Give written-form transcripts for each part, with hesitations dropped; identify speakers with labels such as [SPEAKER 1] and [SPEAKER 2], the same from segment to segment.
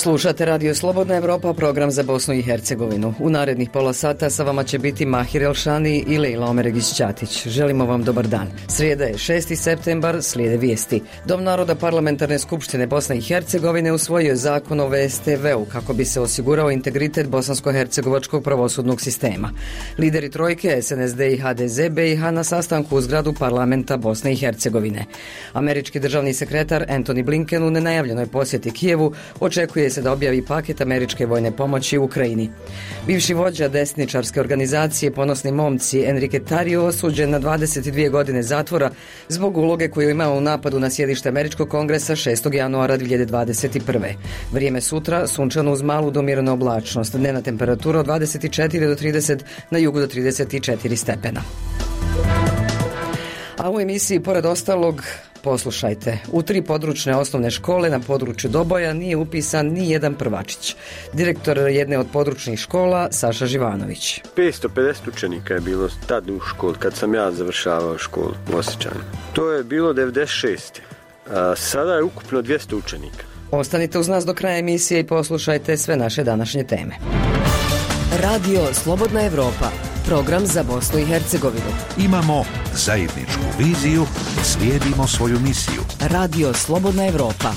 [SPEAKER 1] Slušate Radio Slobodna Evropa, program za Bosnu i Hercegovinu. U narednih pola sata sa vama će biti Mahir Elšani i Lejla Omeregić-Ćatić. Želimo vam dobar dan. Srijeda je 6. septembar, slijede vijesti. Dom naroda Parlamentarne skupštine Bosne i Hercegovine usvojio je zakon o VSTV-u kako bi se osigurao integritet bosansko-hercegovačkog pravosudnog sistema. Lideri trojke SNSD i HDZ BiH na sastanku u zgradu parlamenta Bosne i Hercegovine. Američki državni sekretar Antony Blinken u nenajavljenoj posjeti Kijevu očekuje se da objavi paket američke vojne pomoći u Ukrajini. Bivši vođa desničarske organizacije Ponosni momci Enrique Tarrio osuđen na 22 godine zatvora zbog uloge koju je imao u napadu na sjedište američkog kongresa 6. januara 2021. Vrijeme sutra sunčano uz malu do umjerenu oblačnost, dnevna temperatura od 24 do 30, na jugu do 34 stepena. A u emisiji, pored ostalog, poslušajte, u 3 područne osnovne škole na području Doboja nije upisan ni jedan prvačić. Direktor jedne od područnih škola, Saša Živanović.
[SPEAKER 2] 550 učenika je bilo tad u školi, kad sam ja završavao školu u Osjećanu. To je bilo 96. A sada je ukupno 200 učenika.
[SPEAKER 1] Ostanite uz nas do kraja emisije i poslušajte sve naše današnje teme. Radio Slobodna Evropa, program za Bosnu i Hercegovinu.
[SPEAKER 3] Imamo zajedničku viziju, slijedimo svoju misiju.
[SPEAKER 1] Radio Slobodna Evropa.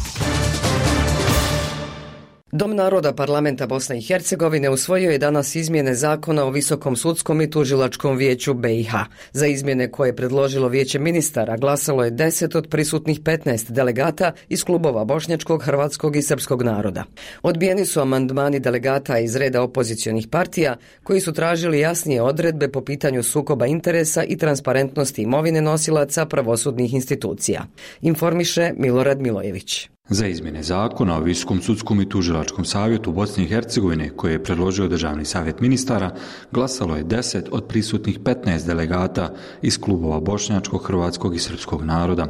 [SPEAKER 1] Dom naroda Parlamenta Bosne i Hercegovine usvojio je danas izmjene zakona o Visokom sudskom i tužilačkom vijeću BiH. Za izmjene koje je predložilo vijeće ministara glasalo je 10 od prisutnih 15 delegata iz klubova bošnjačkog, hrvatskog i srpskog naroda. Odbijeni su amandmani delegata iz reda opozicionih partija koji su tražili jasnije odredbe po pitanju sukoba interesa i transparentnosti imovine nosilaca pravosudnih institucija. Informiše Milorad Milojević.
[SPEAKER 4] Za izmjene zakona o Visokom sudskom i tužilačkom savjetu Bosne i Hercegovine, koje je predložio Državni savjet ministara, glasalo je 10 od prisutnih 15 delegata iz klubova bošnjačkog, hrvatskog i srpskog naroda.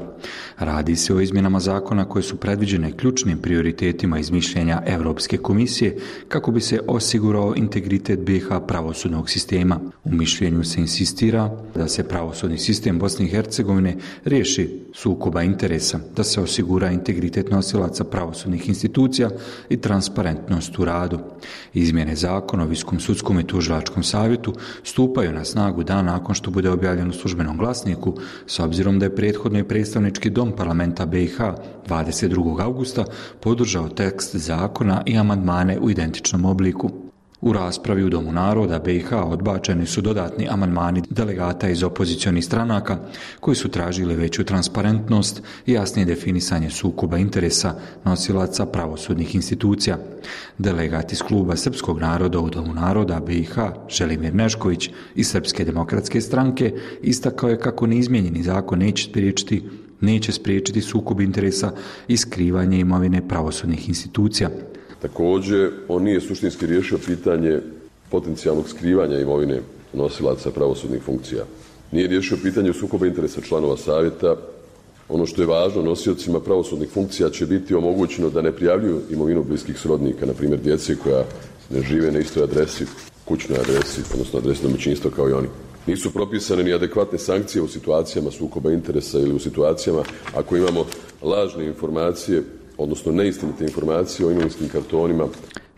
[SPEAKER 4] Radi se o izmjenama zakona koje su predviđene ključnim prioritetima iz mišljenja Europske komisije kako bi se osigurao integritet BiH pravosudnog sistema. U mišljenju se insistira da se pravosudni sistem Bosne i Hercegovine riješi sukoba interesa, da se osigura integritet nosilaca pravosudnih institucija i transparentnost u radu. Izmjene zakona o Visokom sudskom i tužilačkom savjetu stupaju na snagu dan nakon što bude objavljen u službenom glasniku, s obzirom da je prethodno i predstavnički dom parlamenta BiH 22. augusta podržao tekst zakona i amandmane u identičnom obliku. U raspravi u Domu naroda BiH odbačeni su dodatni amandmani delegata iz opozicionih stranaka koji su tražili veću transparentnost i jasnije definisanje sukoba interesa nosilaca pravosudnih institucija. Delegat iz kluba srpskog naroda u Domu naroda BiH Želimir Nešković iz Srpske demokratske stranke istakao je kako neizmijenjeni zakon neće spriječiti sukob interesa i skrivanje imovine pravosudnih institucija.
[SPEAKER 5] Također, on nije suštinski riješio pitanje potencijalnog skrivanja imovine nosilaca pravosudnih funkcija. Nije riješio pitanje sukoba interesa članova savjeta. Ono što je važno, nosiocima pravosudnih funkcija će biti omogućeno da ne prijavljuju imovinu bliskih srodnika, na primjer djece koja ne žive na istoj adresi, kućnoj adresi, odnosno adresi domaćinstva kao i oni. Nisu propisane ni adekvatne sankcije u situacijama sukoba interesa ili u situacijama ako imamo lažne informacije, odnosno neistinite informacije o imovinskim kartonima.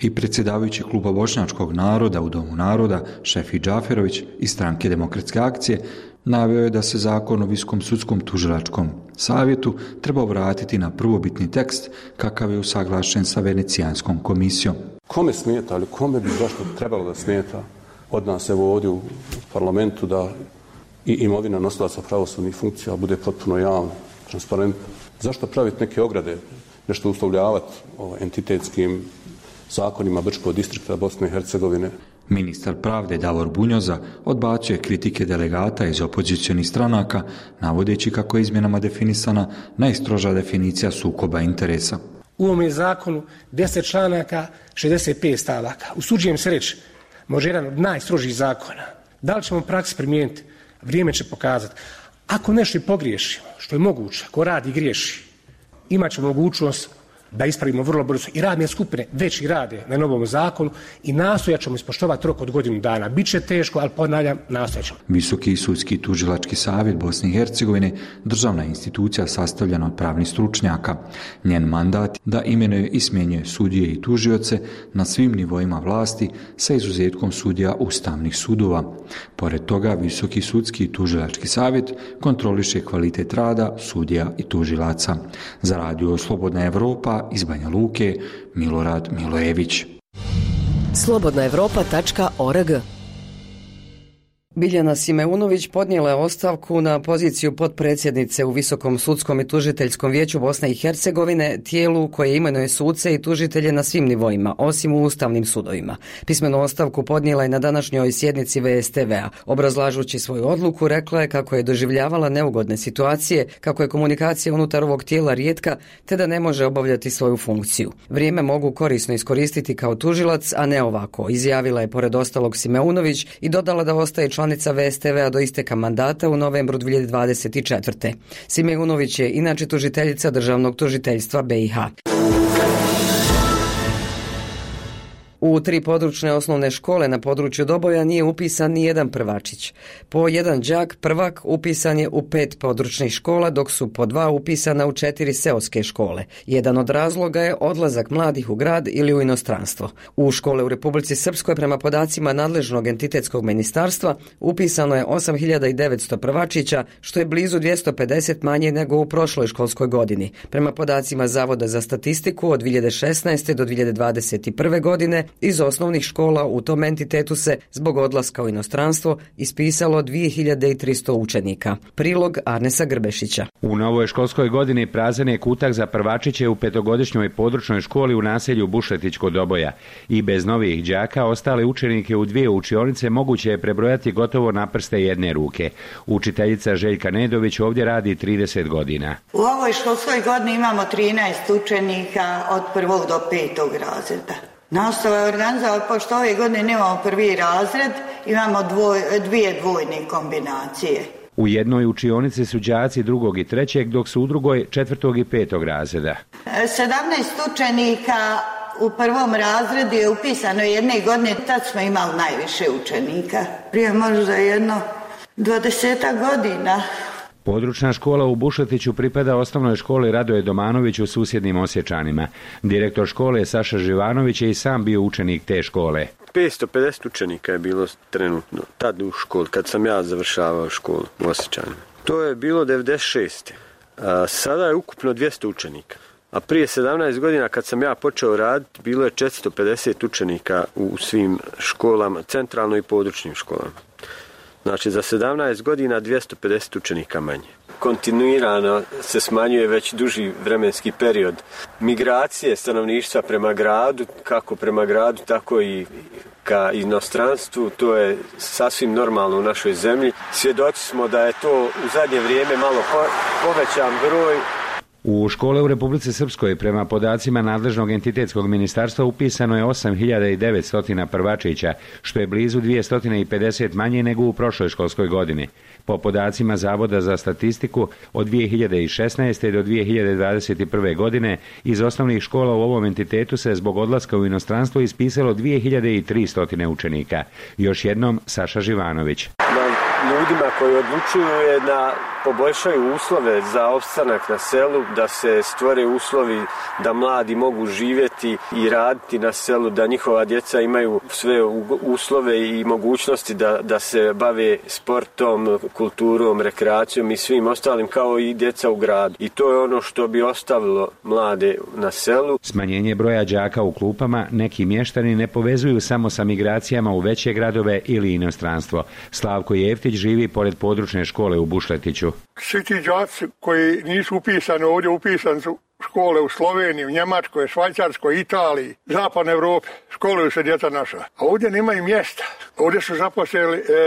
[SPEAKER 4] I predsjedavajući kluba bošnjačkog naroda u Domu naroda Šefi Džaferović iz Stranke demokratske akcije naveo je da se zakon o Visokom sudskom tužilačkom savjetu treba vratiti na prvobitni tekst kakav je usaglašen sa Venecijanskom komisijom.
[SPEAKER 6] Kome smeta, ali kome bi zašto trebalo da smeta od nas evo ovdje u parlamentu da i imovina nosilaca pravosudnih funkcija bude potpuno javna, transparentna? Zašto praviti neke ograde, nešto uslovljavati entitetskim zakonima Brčkog distrikta Bosne i Hercegovine?
[SPEAKER 4] Ministar pravde Davor Bunjoza odbacuje kritike delegata iz opozicionih stranaka, navodeći kako je izmjenama definisana najstroža definicija sukoba interesa.
[SPEAKER 7] U ovom je zakonu 10 članaka, 65 stavaka. Usuđujem se reći, može jedan od najstrožih zakona. Da li ćemo u praksi primijeniti? Vrijeme će pokazati. Ako nešto i pogriješimo, što je moguće, ko radi i griješi, imat će mogućnost da ispravimo vrlo brzo. I radne skupine već i rade na novom zakonu i nastojat ćemo ispoštovati rok od godinu dana. Biće teško, ali ponavljam, nastojat ćemo.
[SPEAKER 4] Visoki sudski tužilački savjet Bosne i Hercegovine, državna institucija sastavljena od pravnih stručnjaka. Njen mandat da imenuje i smjenjuje sudije i tužioce na svim nivoima vlasti sa izuzetkom sudija ustavnih sudova. Pored toga, Visoki sudski tužilački savjet kontroliše kvalitet rada sudija i tužilaca. Za radio Slobodna Evropa iz Banja Luke, Milorad Milojević.
[SPEAKER 8] slobodnaevropa.org.
[SPEAKER 1] Biljana Simeunović podnijela je ostavku na poziciju potpredsjednice u Visokom sudskom i tužiteljskom vijeću Bosne i Hercegovine, tijelu koje imenuje suce i tužitelje na svim nivoima, osim u ustavnim sudovima. Pismenu ostavku podnijela je na današnjoj sjednici VSTV-a. Obrazlažući svoju odluku, rekla je kako je doživljavala neugodne situacije, kako je komunikacija unutar ovog tijela rijetka, te da ne može obavljati svoju funkciju. Vrijeme mogu korisno iskoristiti kao tužilac, a ne ovako, izjavila je pored ostalog Simeunović i dodala da ostaje članica VSTV-a do isteka mandata u novembru 2024. Simeunović je inače tužiteljica Državnog tužiteljstva BiH. U 3 područne osnovne škole na području Doboja nije upisan ni jedan prvačić. Po jedan đak prvak upisan je u 5 područnih škola, dok su po 2 upisana u 4 seoske škole. Jedan od razloga je odlazak mladih u grad ili u inostranstvo. U škole u Republici Srpskoj, prema podacima nadležnog entitetskog ministarstva, upisano je 8.900 prvačića, što je blizu 250 manje nego u prošloj školskoj godini. Prema podacima Zavoda za statistiku, od 2016. do 2021. godine iz osnovnih škola u tom entitetu se zbog odlaska u inostranstvo ispisalo 2300 učenika. Prilog Arnesa Grbešića.
[SPEAKER 9] U novoj školskoj godini prazan je kutak za prvačiće u 5-godišnjoj područnoj školi u naselju Bušletić kod Doboja. I bez novih đaka ostale učenike u 2 učionice moguće je prebrojati gotovo na prste jedne ruke. Učiteljica Željka Nedović ovdje radi 30 godina.
[SPEAKER 10] U ovoj školskoj godini imamo 13 učenika od 1. do 5. razreda. Nastava je organizovana, pošto ove godine nemamo 1. razred, imamo 2 dvojne kombinacije.
[SPEAKER 9] U jednoj učionici su đaci 2. i 3., dok su u drugoj 4. i 5. razreda.
[SPEAKER 10] 17 učenika u 1. razredu je upisano jedne godine, tad smo imali najviše učenika. Prije možda jedno 20 godina.
[SPEAKER 9] Područna škola u Bušletiću pripada osnovnoj školi Radoje Domanović u susjednim Osječanima. Direktor škole Saša Živanović je i sam bio učenik te škole.
[SPEAKER 2] 550 učenika je bilo trenutno, tad u školi, kad sam ja završavao školu u Osječanima. To je bilo 96. Sada je ukupno 200 učenika. A prije 17 godina kad sam ja počeo raditi, bilo je 450 učenika u svim školama, centralno i područnim školama. Znači za 17 godina 250 učenika manje. Kontinuirano se smanjuje već duži vremenski period. Migracije stanovništva prema gradu, kako prema gradu, tako i ka inostranstvu, to je sasvim normalno u našoj zemlji. Svjedoci smo da je to u zadnje vrijeme malo povećan broj.
[SPEAKER 9] U škole u Republici Srpskoj prema podacima nadležnog entitetskog ministarstva upisano je 8.900 prvačića, što je blizu 250 manje nego u prošloj školskoj godini. Po podacima Zavoda za statistiku, od 2016. do 2021. godine iz osnovnih škola u ovom entitetu se zbog odlaska u inostranstvo ispisalo 2300 učenika. Još jednom Saša Živanović.
[SPEAKER 2] Ljudima koji odlučuju je da poboljšaju uslove za opstanak na selu, da se stvore uslovi da mladi mogu živjeti i raditi na selu, da njihova djeca imaju sve uslove i mogućnosti da se bave sportom, kulturom, rekreacijom i svim ostalim kao i djeca u gradu. I to je ono što bi ostavilo mlade na selu.
[SPEAKER 9] Smanjenje broja đaka u klupama neki mještani ne povezuju samo sa migracijama u veće gradove ili inostranstvo. Slavko Jeftić živi pored područne škole u Bušletiću.
[SPEAKER 11] Svi ti đaci koji nisu upisani ovdje, upisani su škole u Sloveniji, u Njemačkoj, Švajcarskoj, Italiji, Zapadnoj Evropi. Školuju se djeca naša. A ovdje nemaju mjesta. Ovdje su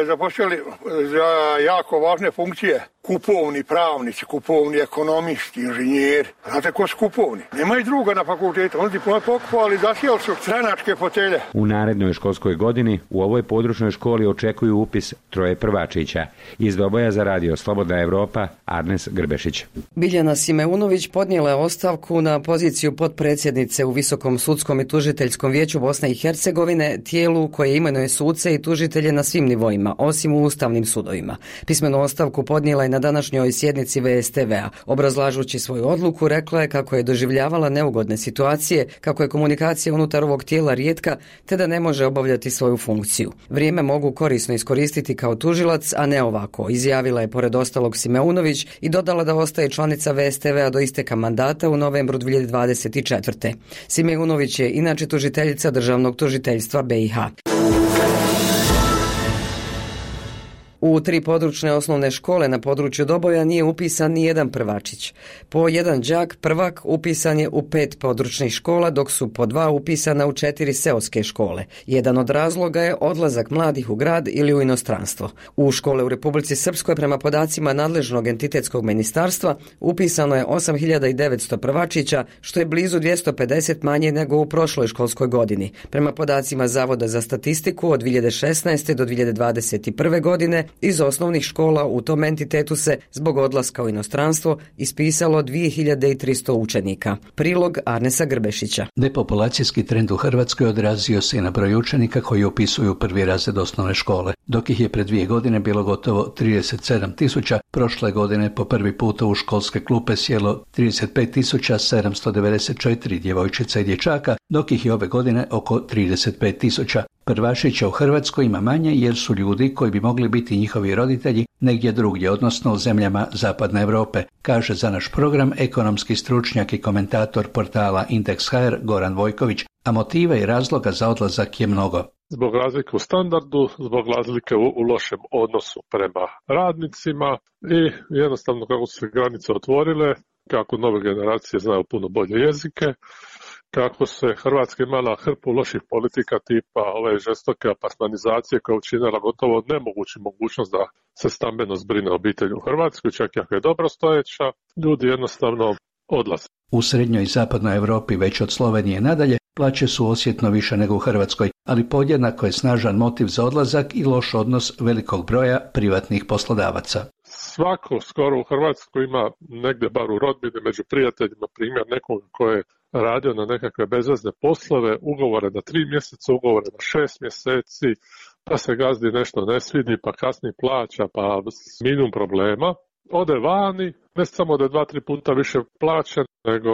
[SPEAKER 11] zaposlili za jako važne funkcije kupovni pravnici, kupovni ekonomisti, inženjeri. Znate ko su kupovni? Nema i druga na fakultetu. Oni diplome pokupali, zasijali su stranačke fotelje.
[SPEAKER 9] U narednoj školskoj godini u ovoj područnoj školi očekuju upis 3 prvačića. Iz Doboja za radio Slobodna Evropa, Arnes Grbešić.
[SPEAKER 1] Biljana Simeunović podnijela je ostavku na poziciju potpredsjednice u Visokom sudskom i tužiteljskom vijeću Bosne i Hercegovine, tijelu koje imenuje suce i tužitelje na svim nivoima, osim u ustavnim sudovima. Pismenu ostavku podnijela je na današnjoj sjednici VSTV-a. Obrazlažući svoju odluku, rekla je kako je doživljavala neugodne situacije, kako je komunikacija unutar ovog tijela rijetka, te da ne može obavljati svoju funkciju. Vrijeme mogu korisno iskoristiti kao tužilac, a ne ovako, izjavila je pored ostalog Simeunović i dodala da ostaje članica VSTV-a do isteka mandata u novembru 2024. Simeunović je inače tužiteljica Državnog tužiteljstva BiH. U 3 područne osnovne škole na području Doboja nije upisan ni jedan prvačić. Po jedan đak prvak upisan je u 5 područnih škola, dok su po 2 upisana u 4 seoske škole. Jedan od razloga je odlazak mladih u grad ili u inostranstvo. U škole u Republici Srpskoj prema podacima nadležnog entitetskog ministarstva upisano je 8.900 prvačića, što je blizu 250 manje nego u prošloj školskoj godini. Prema podacima Zavoda za statistiku od 2016. do 2021. godine iz osnovnih škola u tom entitetu se zbog odlaska u inostranstvo ispisalo 2300 učenika. Prilog Arnesa Grbešića.
[SPEAKER 8] Depopulacijski trend u Hrvatskoj odrazio se i na broj učenika koji upisuju prvi razred osnovne škole. Dok ih je pred 2 godine bilo gotovo 37.000, prošle godine po prvi puta u školske klupe sjelo 35.794 djevojčica i dječaka, dok ih je ove godine oko 35.000. Prvašića u Hrvatskoj ima manje jer su ljudi koji bi mogli biti njihovi roditelji negdje drugdje, odnosno u zemljama Zapadne Europe, kaže za naš program ekonomski stručnjak i komentator portala Indeks.hr Goran Vojković, a motiva i razloga za odlazak je mnogo.
[SPEAKER 12] Zbog razlike u standardu, zbog razlike u lošem odnosu prema radnicima i jednostavno kako su se granice otvorile, kako nove generacije znaju puno bolje jezike, kako se Hrvatska imala hrpu loših politika tipa ove žestoke apartmanizacije koja je učinila gotovo nemoguću mogućnost da se stambeno zbrine obitelj u Hrvatskoj, čak i ako je dobro stojeća, ljudi jednostavno odlaze.
[SPEAKER 8] U srednjoj i zapadnoj Europi već od Slovenije nadalje plaće su osjetno više nego u Hrvatskoj, ali podjednako je snažan motiv za odlazak i loš odnos velikog broja privatnih poslodavaca.
[SPEAKER 12] Svako skoro u Hrvatskoj ima negdje bar u rodbini među prijateljima primjer nekog ko je radio na nekakve bezvezne poslove, ugovore na 3 mjeseca, ugovore na 6 mjeseci, pa se gazdi nešto ne svidi, pa kasni plaća, pa minimum problema. Ode vani, ne samo da je 2-3 puta više plaćen, nego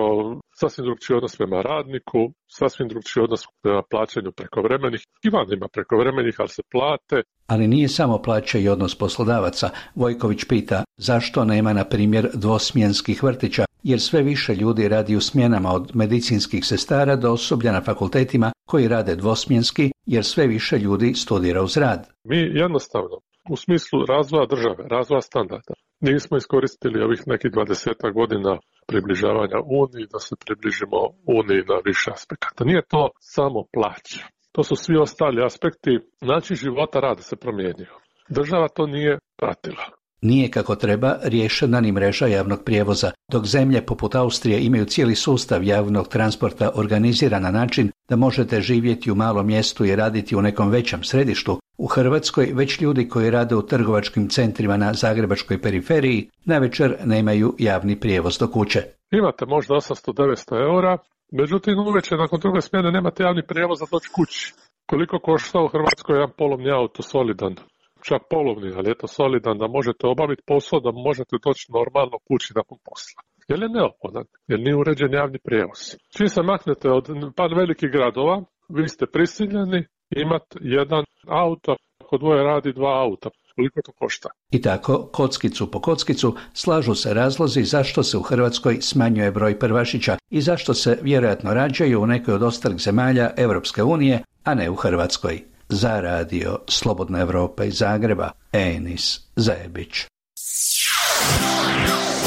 [SPEAKER 12] sasvim drugčiji odnos prema radniku, sasvim drugčiji odnos prema plaćanju prekovremenih. I van ima prekovremenih, ali se plate.
[SPEAKER 8] Ali nije samo plaća i odnos poslodavaca. Vojković pita zašto nema, na primjer, dvosmjenskih vrtića, jer sve više ljudi radi u smjenama od medicinskih sestara do osoblja na fakultetima koji rade dvosmjenski, jer sve više ljudi studira uz rad.
[SPEAKER 12] Mi jednostavno, u smislu razvoja države, razvoja standarda, nismo iskoristili ovih nekih 20 godina približavanja Uniji da se približimo Uniji na više aspekata. Nije to samo plaća. To su svi ostali aspekti. Način života rada se promijenio. Država to nije pratila.
[SPEAKER 8] Nije kako treba riješena ni mreža javnog prijevoza, dok zemlje poput Austrije imaju cijeli sustav javnog transporta organiziran na način da možete živjeti u malom mjestu i raditi u nekom većem središtu. U Hrvatskoj već ljudi koji rade u trgovačkim centrima na zagrebačkoj periferiji navečer nemaju javni prijevoz do kuće.
[SPEAKER 12] Imate možda 800-900 eura, međutim uvečer nakon druge smjene nemate javni prijevoz za doći kući. Koliko košta u Hrvatskoj jedan polovni auto solidan? Čak polovni, ali je to solidan da možete obaviti posao, da možete doći normalno kući nakon posla. Jer je neophodan, jer nije uređen javni prijevoz. Čim se maknete od par velikih gradova, vi ste prisiljeni imati jedan auto, ako dvoje radi 2 auta. Koliko to košta?
[SPEAKER 8] I tako, kockicu po kockicu, slažu se razlozi zašto se u Hrvatskoj smanjuje broj prvašića i zašto se vjerojatno rađaju u nekoj od ostalih zemalja Europske unije, a ne u Hrvatskoj. Za radio Slobodna Evropa iz Zagreba, Enis Zajebić.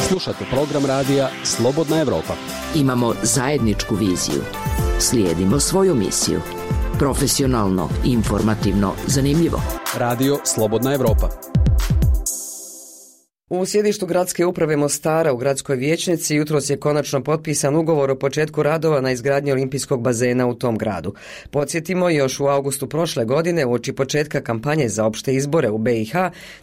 [SPEAKER 13] Slušate program radija Slobodna Evropa.
[SPEAKER 14] Imamo zajedničku viziju. Slijedimo svoju misiju.
[SPEAKER 13] Profesionalno, informativno, zanimljivo.
[SPEAKER 14] Radio Slobodna Evropa.
[SPEAKER 1] U sjedištu gradske uprave Mostara u gradskoj vijećnici jutros je konačno potpisan ugovor o početku radova na izgradnji olimpijskog bazena u tom gradu. Podsjetimo, još u augustu prošle godine, uoči početka kampanje za opšte izbore u BiH,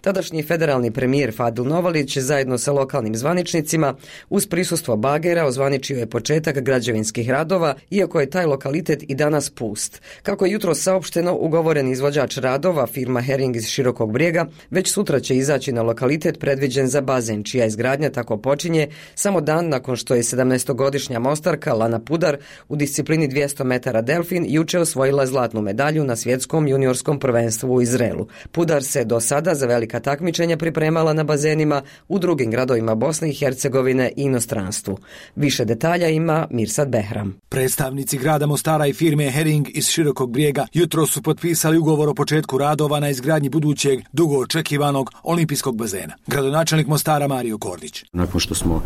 [SPEAKER 1] tadašnji federalni premijer Fadil Novalić zajedno sa lokalnim zvaničnicima uz prisustvo bagera ozvaničio je početak građevinskih radova, iako je taj lokalitet i danas pust. Kako je jutros saopšteno, ugovoren izvođač radova, firma Hering iz Širokog Brijega, već sutra će izaći na lokalitet predviđen za bazen, čija izgradnja tako počinje samo dan nakon što je 17-godišnja Mostarka Lana Pudar u disciplini 200 metara delfin juče osvojila zlatnu medalju na svjetskom juniorskom prvenstvu u Izraelu. Pudar se do sada za velika takmičenja pripremala na bazenima u drugim gradovima Bosne i Hercegovine i inostranstvu. Više detalja ima Mirsad Behram.
[SPEAKER 15] Predstavnici grada Mostara i firme Hering iz Širokog Brijega jutro su potpisali ugovor o početku radova na izgradnji budućeg dugo očekivanog olimpijskog bazena. Gradonačelnik Mostara Mario Kordić.
[SPEAKER 16] Nakon što smo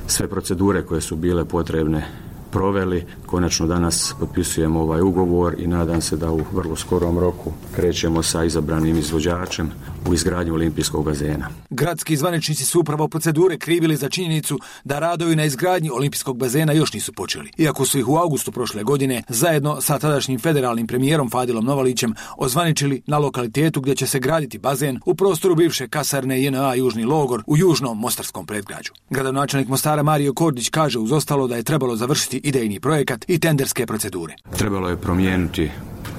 [SPEAKER 16] sve procedure koje su bile potrebne proveli, konačno danas potpisujemo ovaj ugovor i nadam se da u vrlo skorom roku krećemo sa izabranim izvođačem u izgradnju olimpijskog bazena.
[SPEAKER 15] Gradski zvaničnici su upravo procedure krivili za činjenicu da radovi na izgradnji olimpijskog bazena još nisu počeli, iako su ih u augustu prošle godine zajedno sa tadašnjim federalnim premijerom Fadilom Novalićem ozvaničili na lokalitetu gdje će se graditi bazen u prostoru bivše kasarne JNA Južni logor u južnom mostarskom predgrađu. Gradonačelnik Mostara Mario Kordić kaže uz ostalo da je trebalo završiti idejni projekat i tenderske procedure.
[SPEAKER 16] Trebalo je promijeniti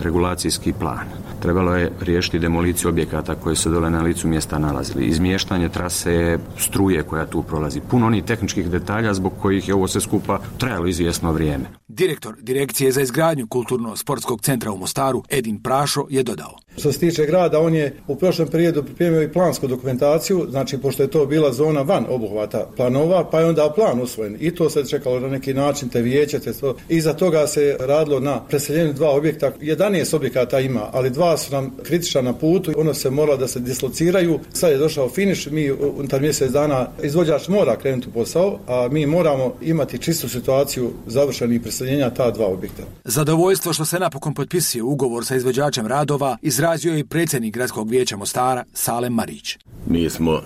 [SPEAKER 16] regulacijski plan. Trebalo je riješiti demoliciju objekata koji se dole na licu mjesta nalazili. Izmještanje trase struje koja tu prolazi. Puno onih tehničkih detalja zbog kojih je ovo sve skupa trajalo izvjesno vrijeme.
[SPEAKER 15] Direktor Direkcije za izgradnju Kulturno-sportskog centra u Mostaru Edin Prašo je dodao.
[SPEAKER 17] Što se tiče grada, on je u prošlom periodu pripremio i plansku dokumentaciju, znači pošto je to bila zona van obuhvata planova, pa je onda plan usvojen. I to se čekalo na neki način, te vijeće, te to. Iza toga se radilo na preseljenju 2 objekta. 11 objekata ima, ali 2 su nam kritična na putu. Ono se mora da se dislociraju. Sad je došao finiš, mi unutar mjesec dana izvođač mora krenuti u posao, a mi moramo imati čistu situaciju završenih preseljenja ta 2 objekta.
[SPEAKER 15] Zadovoljstvo što se napokon potpisuje ugovor sa izvođačem radova izrazio je i predsjednik gradskog vijeća Mostara Salem Marić.
[SPEAKER 18] Mi smo,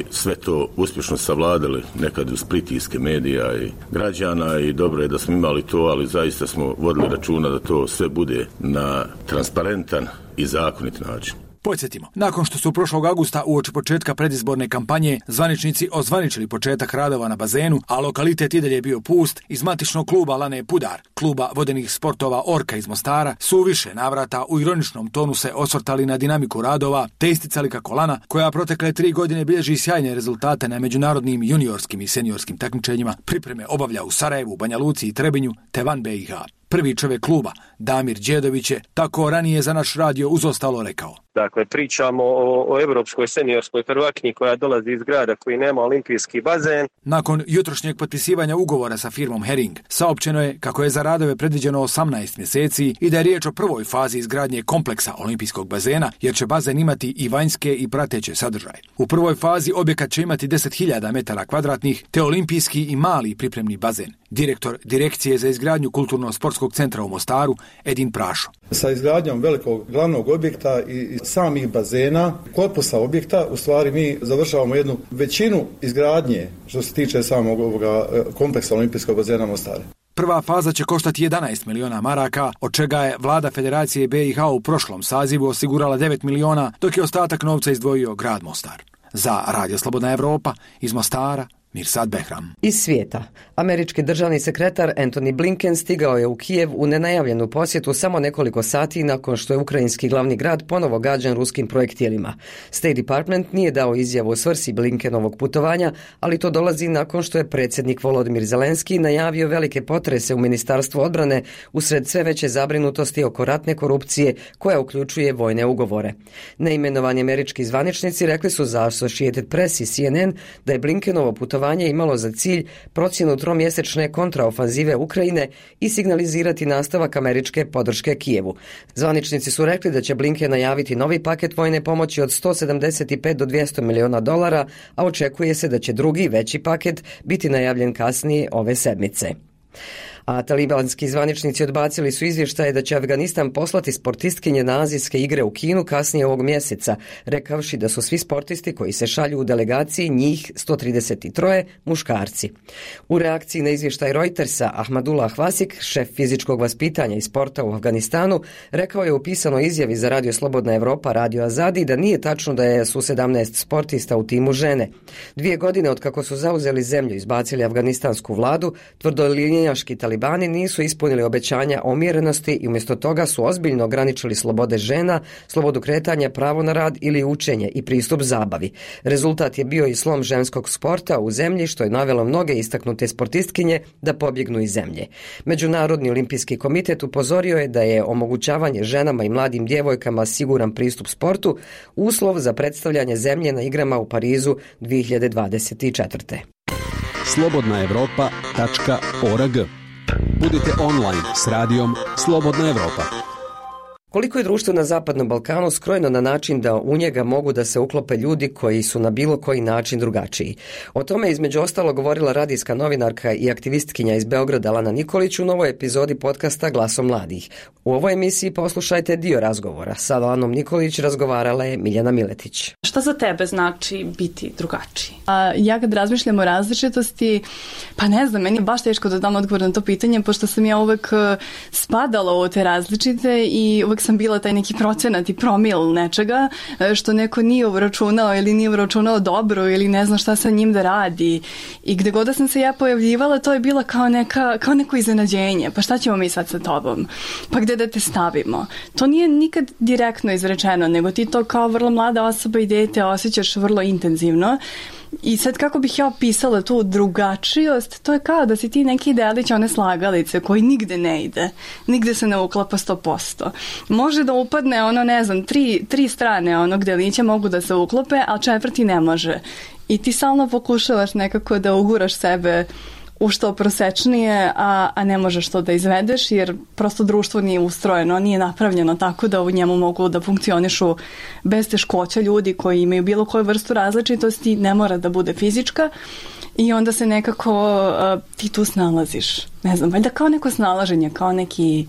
[SPEAKER 18] sve to uspješno savladali nekad uz pritiske medija i građana i dobro je da smo imali to, ali zaista smo vodili računa da to sve bude na transparentan i zakonit način.
[SPEAKER 15] Podsjetimo, nakon što su prošlog augusta uoči početka predizborne kampanje zvaničnici ozvaničili početak radova na bazenu, a lokalitet i dalje bio pust, iz matičnog kluba Lane Pudar, kluba vodenih sportova Orka iz Mostara, su u više navrata u ironičnom tonu se osvrtali na dinamiku radova, te isticali kako Lana, koja protekle 3 godine bilježi sjajne rezultate na međunarodnim juniorskim i seniorskim takmičenjima, pripreme obavlja u Sarajevu, Banja Luci i Trebinju, te van BiH. Prvi čovjek kluba, Damir Đedović, je tako ranije za naš radio uz ostalo rekao.
[SPEAKER 19] Dakle, pričamo o evropskoj seniorskoj prvakinji koja dolazi iz grada koji nema olimpijski bazen.
[SPEAKER 15] Nakon jutrošnjeg potpisivanja ugovora sa firmom Hering, saopćeno je kako je za radove predviđeno 18 mjeseci i da je riječ o prvoj fazi izgradnje kompleksa olimpijskog bazena, jer će bazen imati i vanjske i prateće sadržaje. U prvoj fazi objekat će imati 10.000 metara kvadratnih, te olimpijski i mali pripremni bazen. Direktor Direkcije za izgradnju Kulturno-sportskog centra u Mostaru Edin Prašo.
[SPEAKER 17] Sa izgradnjom velikog glavnog objekta i samih bazena, korpusa objekta, u stvari mi završavamo jednu većinu izgradnje što se tiče samog ovoga kompleksa olimpijskog bazena Mostara.
[SPEAKER 15] Prva faza će koštati 11 miliona maraka, od čega je vlada Federacije BiH u prošlom sazivu osigurala 9 miliona, dok je ostatak novca izdvojio grad Mostar. Za Radio Slobodna Evropa iz Mostara, Mirsad Behram.
[SPEAKER 1] Iz svijeta. Američki državni sekretar Antony Blinken stigao je u Kijev u nenajavljenu posjetu samo nekoliko sati nakon što je ukrajinski glavni grad ponovo gađan ruskim projektilima. State Department nije dao izjavu o svrsi Blinkenovog putovanja, ali to dolazi nakon što je predsjednik Volodimir Zelenski najavio velike potrese u Ministarstvu odbrane usred sve veće zabrinutosti oko ratne korupcije koja uključuje vojne ugovore. Neimenovani američki zvaničnici rekli su za Associated Press i CNN da je Blinkenovo putovanje imalo za cilj procjenu tromjesečne kontraofanzive Ukrajine i signalizirati nastavak američke podrške Kijevu. Zvaničnici su rekli da će Blinken najaviti novi paket vojne pomoći od 175 do 200 miliona dolara, a očekuje se da će drugi, veći paket biti najavljen kasnije ove sedmice. A talibanski zvaničnici odbacili su izvještaje da će Afganistan poslati sportistkinje na azijske igre u Kinu kasnije ovog mjeseca, rekavši da su svi sportisti koji se šalju u delegaciji, njih 133 muškarci. U reakciji na izvještaj Reutersa, Ahmadullah Vasik, šef fizičkog vaspitanja i sporta u Afganistanu, rekao je u pisanoj izjavi za Radio Slobodna Evropa Radio Azadi da nije tačno da su 17 sportista u timu žene. 2 godine od kako su zauzeli zemlju i izbacili afganistansku vladu, tvrdolinijaški talibani nisu ispunili obećanja o umjerenosti i umjesto toga su ozbiljno ograničili slobode žena, slobodu kretanja, pravo na rad ili učenje i pristup zabavi. Rezultat je bio i slom ženskog sporta u zemlji, što je navelo mnoge istaknute sportistkinje da pobjegnu iz zemlje. Međunarodni olimpijski komitet upozorio je da je omogućavanje ženama i mladim djevojkama siguran pristup sportu uslov za predstavljanje zemlje na igrama u Parizu 2024.
[SPEAKER 14] slobodnaevropa.org. Budite online s radijom Slobodna Evropa.
[SPEAKER 1] Koliko je društvo na Zapadnom Balkanu skrojeno na način da u njega mogu da se uklope ljudi koji su na bilo koji način drugačiji? O tome između ostalo govorila radijska novinarka i aktivistkinja iz Beograda Lana Nikolić u novoj epizodi podcasta Glasom mladih. U ovoj emisiji poslušajte dio razgovora. Sa Lanom Nikolić razgovarala je Miljana Miletić.
[SPEAKER 20] Šta za tebe znači biti drugačiji?
[SPEAKER 21] Ja kad razmišljam o različitosti, pa ne znam, meni je baš teško da dam odgovor na to pitanje, pošto sam ja uvek spadala u te različite i uvek sam bila taj neki procenat i promil nečega što neko nije uračunao ili nije uračunao dobro ili ne zna šta sa njim da radi. I gde god da sam se ja pojavljivala, to je bila kao neko iznenađenje. Pa šta ćemo mi sad sa tobom? Pa gde da te stavimo? To nije nikad direktno izrečeno, nego ti to kao vrlo mlada osoba i dete osjećaš vrlo intenzivno. I sad kako bih ja opisala tu drugačijost, to je kao da si ti neki delić one slagalice koji nigde ne ide, nigde se ne uklapa 100%. Može da upadne ono, ne znam, tri strane onog delića mogu da se uklope, a 4. ne može. I ti stalno pokušavaš nekako da uguraš sebe u što prosečnije, a ne možeš to da izvedeš, jer prosto društvo nije ustrojeno, nije napravljeno tako da u njemu mogu da funkcionišu bez teškoća ljudi koji imaju bilo koju vrstu različitosti, ne mora da bude fizička, i onda se nekako ti tu snalaziš. Ne znam, valjda kao neko snalaženje, kao neki,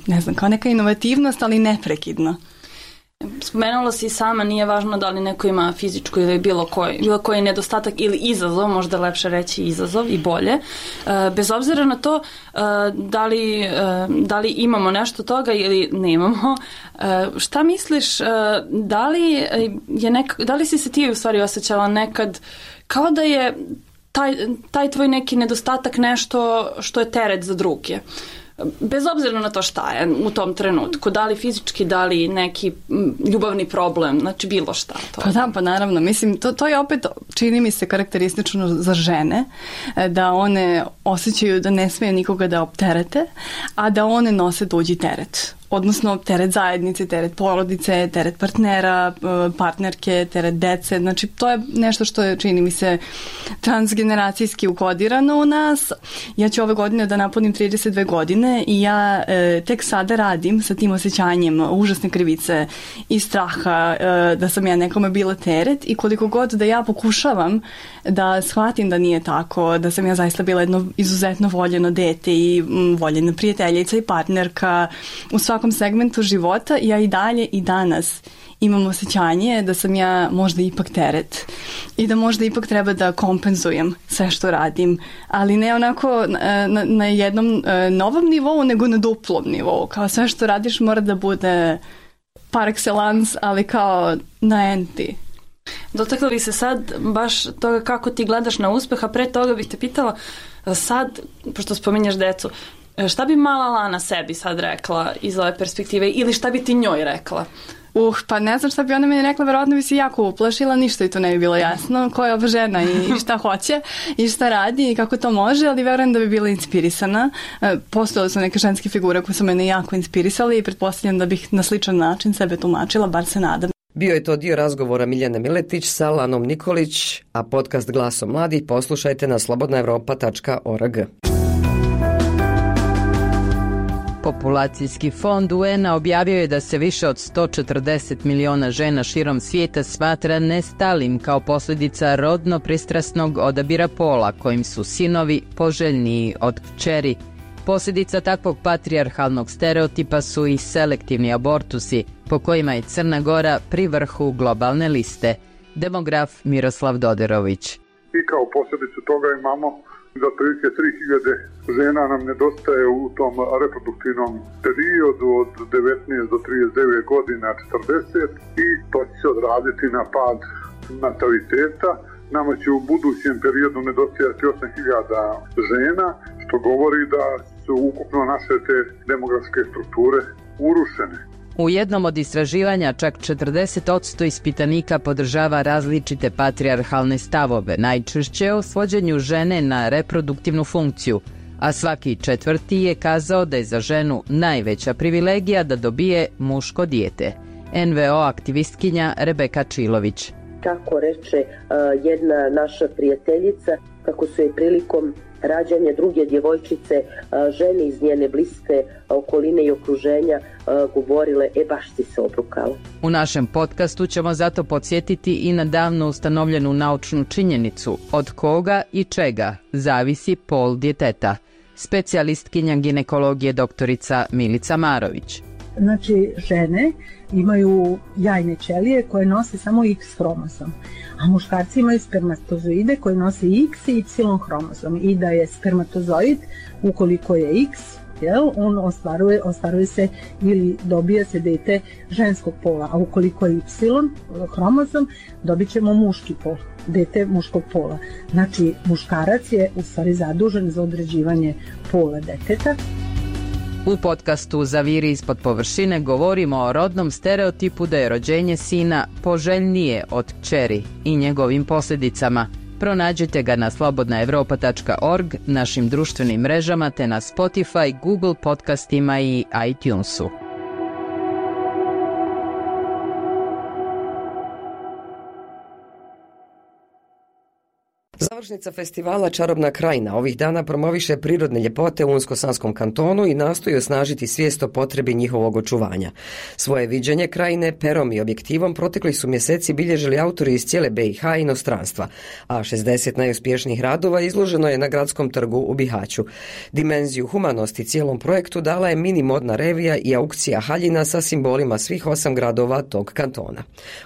[SPEAKER 21] ne znam, kao neka inovativnost, ali neprekidno.
[SPEAKER 20] Spomenula si sama, nije važno da li neko ima fizičku ili bilo koji nedostatak ili izazov, možda lepše reći izazov i bolje. Bez obzira na to da li imamo nešto toga ili nemamo, šta misliš, da li si se ti u stvari osjećala nekad kao da je taj tvoj neki nedostatak nešto što je teret za druge? Bez obzira na to šta je u tom trenutku, da li fizički, da li neki ljubavni problem, znači bilo šta.
[SPEAKER 21] Pa naravno, mislim, to je opet, čini mi se, karakteristično za žene, da one osjećaju da ne smije nikoga da opterete, a da one nose tuđi teret. Odnosno teret zajednice, teret porodice, teret partnera, partnerke, teret dece. Znači to je nešto što je, čini mi se, transgeneracijski ukodirano u nas. Ja ću ove godine da napunim 32 godine i ja tek sada radim sa tim osjećanjem užasne krivice i straha da sam ja nekome bila teret, i koliko god da ja pokušavam da shvatim da nije tako, da sam ja zaista bila jedno izuzetno voljeno dete i voljena prijateljica i partnerka u svakom segmentu života, ja i dalje i danas imam osjećanje da sam ja možda ipak teret i da možda ipak treba da kompenzujem sve što radim, ali ne onako na jednom novom nivou, nego na duplom nivou. Kao sve što radiš mora da bude par excellence, ali kao na enti.
[SPEAKER 20] Dotakla bi se sad baš toga kako ti gledaš na uspeh, a pre toga bih te pitala sad, pošto spominješ decu, šta bi mala Lana sebi sad rekla iz ove perspektive, ili šta bi ti njoj rekla?
[SPEAKER 21] Pa ne znam šta bi ona meni rekla, verovatno bi se jako uplašila, ništa i to ne bi bilo jasno, koja je ova žena i šta hoće i šta radi i kako to može, ali verujem da bi bila inspirisana. Postojale su neke ženske figure koje su mene jako inspirisali i pretpostavljam da bih na sličan način sebe tumačila, bar se nadam.
[SPEAKER 1] Bio je to dio razgovora Miljane Miletić sa Lanom Nikolić, a podcast Glasom mladih poslušajte na slobodnaevropa.org.
[SPEAKER 22] Populacijski fond UN-a objavio je da se više od 140 miliona žena širom svijeta smatra nestalim kao posljedica rodno pristrasnog odabira pola, kojim su sinovi poželjniji od kćeri. Posljedica takvog patrijarhalnog stereotipa su i selektivni abortusi, po kojima je Crna Gora pri vrhu globalne liste. Demograf Miroslav Doderović.
[SPEAKER 3] I kao posljedicu toga imamo da otprilike 3000 žena nam nedostaje u tom reproduktivnom periodu od 19 do 39 godina, 40, i to će se odraziti na pad nataliteta. Nama će u budućem periodu nedostajati 8000 žena, što govori da su ukupno naše te demografske strukture urušene.
[SPEAKER 22] U jednom od istraživanja čak 40% ispitanika podržava različite patrijarhalne stavove, najčešće o svođenju žene na reproduktivnu funkciju, a svaki četvrti je kazao da je za ženu najveća privilegija da dobije muško dijete. NVO aktivistkinja Rebeka Čilović.
[SPEAKER 5] Kako reče jedna naša prijateljica, kako su je prilikom rađanja druge djevojčice žene iz njene bliske okoline i okruženja govorile, baš si se obrukala.
[SPEAKER 22] U našem podcastu ćemo zato podsjetiti i na davno ustanovljenu naučnu činjenicu od koga i čega zavisi pol djeteta. Specijalistkinja ginekologije doktorica Milica Marović.
[SPEAKER 23] Znači, žene imaju jajne ćelije koje nose samo X hromozom, a muškarci imaju spermatozoide koji nose X i Y hromozom, i da je spermatozoid, ukoliko je X, on ostvaruje se ili dobija se dete ženskog pola, a ukoliko je Y hromozom, dobit ćemo muški pol, dete muškog pola. Znači, muškarac je u stvari zadužen za određivanje pola deteta.
[SPEAKER 22] U podcastu Zaviri ispod površine govorimo o rodnom stereotipu da je rođenje sina poželjnije od kćeri i njegovim posljedicama. Pronađite ga na slobodnaevropa.org, našim društvenim mrežama te na Spotify, Google podcastima i iTunesu.
[SPEAKER 1] Završnica festivala Čarobna krajina ovih dana promoviše prirodne ljepote u Unsko-Sanskom kantonu i nastoji osnažiti svijest o potrebi njihovog očuvanja. Svoje viđenje krajine perom i objektivom proteklih su mjeseci bilježili autori iz cijele BiH i inostranstva, a 60 najuspješnijih radova izloženo je na Gradskom trgu u Bihaću. Dimenziju humanosti cijelom projektu dala je mini modna revija i aukcija haljina sa simbolima svih 8 gradova tog kantona.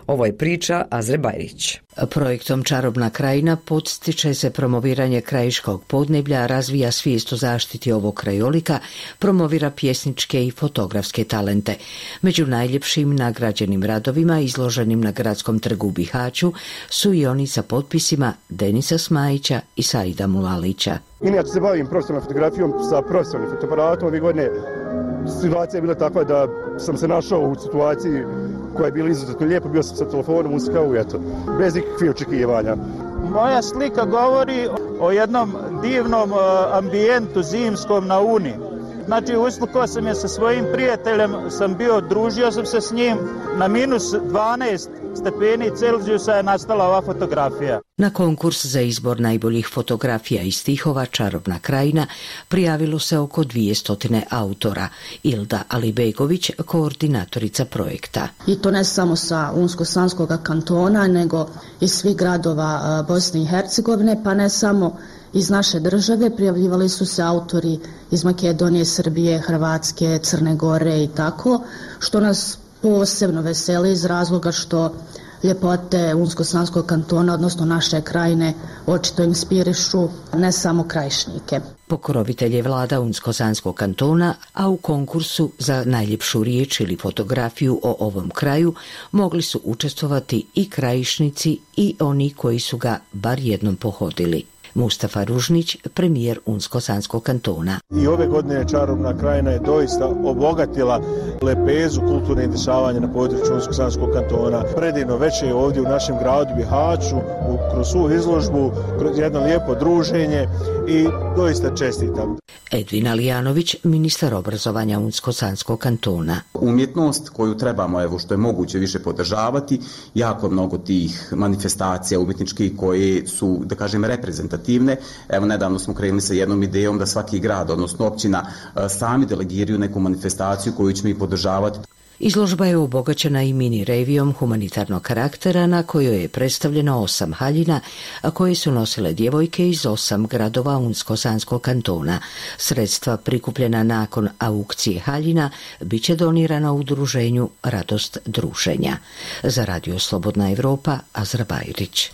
[SPEAKER 1] Ovo je priča Azre Bajrić.
[SPEAKER 13] Projektom Čarobna krajina podstiče se promoviranje krajiškog podneblja, razvija svijest o zaštiti ovog krajolika, promovira pjesničke i fotografske talente. Među najljepšim nagrađenim radovima izloženim na Gradskom trgu u Bihaću su i oni sa potpisima Denisa Smajića i Saida Mulalića.
[SPEAKER 24] Inače se bavim profesionalnom fotografijom sa profesionalnim fotoaparatom. Ove godine situacija je bila takva da sam se našao u situaciji koja je bila izuzetno lijepa, bio sam sa telefonom uz kavu, bez ikakvih očekivanja.
[SPEAKER 25] Moja slika govori o jednom divnom ambijentu zimskom na Uni. Znači, uslikao sam je sa svojim prijateljem, družio sam se s njim, na minus 12 stepeni Celzijusa je nastala ova fotografija.
[SPEAKER 13] Na konkurs za izbor najboljih fotografija i stihova Čarobna krajina prijavilo se oko 200 autora. Ilda Alibegović, koordinatorica projekta.
[SPEAKER 26] I to ne samo sa Unsko-Sanskog kantona, nego iz svih gradova Bosne i Hercegovine, pa ne samo iz naše države. Prijavljivali su se autori iz Makedonije, Srbije, Hrvatske, Crne Gore i tako, što nas posebno veseli iz razloga što ljepote Unsko-Sanskog kantona, odnosno naše krajine, očito inspirišu ne samo krajišnike.
[SPEAKER 13] Pokrovitelj je vlada Unsko-Sanskog kantona, a u konkursu za najljepšu riječ ili fotografiju o ovom kraju mogli su učestvovati i krajišnici i oni koji su ga bar jednom pohodili. Mustafa Ružnić, premijer Unsko-Sanskog kantona.
[SPEAKER 24] I ove godine Čarobna krajina je doista obogatila lepezu kulturne dešavanja na području Unsko-Sanskog kantona. Predivno večer ovdje u našem gradu Bihaću, kroz svu izložbu, kroz jedno lijepo druženje i doista čestitam.
[SPEAKER 13] Edvin Alijanović, ministar obrazovanja Unsko-Sanskog kantona.
[SPEAKER 27] Umjetnost koju trebamo, evo što je moguće više podržavati, jako mnogo tih manifestacija umjetničkih koje su, da kažem, reprezentativne. Evo nedavno smo krenuli sa jednom idejom da svaki grad, odnosno općina, sami delegiraju neku manifestaciju koju ćemo i podržavati.
[SPEAKER 13] Izložba je obogaćena i mini revijom humanitarnog karaktera na kojoj je predstavljeno 8 haljina, a koje su nosile djevojke iz 8 gradova Unsko-Sanskog kantona. Sredstva prikupljena nakon aukcije haljina bit će donirana udruženju Radost druženja. Za Radio Slobodna Evropa, Azra Bajrić.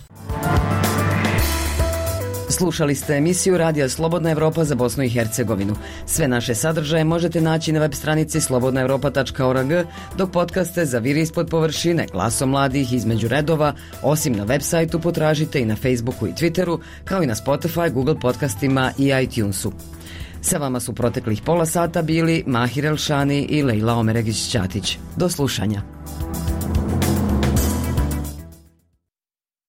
[SPEAKER 1] Slušali ste emisiju Radija Slobodna Evropa za Bosnu i Hercegovinu. Sve naše sadržaje možete naći na web stranici slobodnaevropa.org, dok podcaste za Vir ispod površine, Glasom mladih, Između redova, osim na web sajtu potražite i na Facebooku i Twitteru, kao i na Spotify, Google podcastima i iTunesu. Sa vama su proteklih pola sata bili Mahir Elšani i Lejla Omeregić-Ćatić. Do slušanja.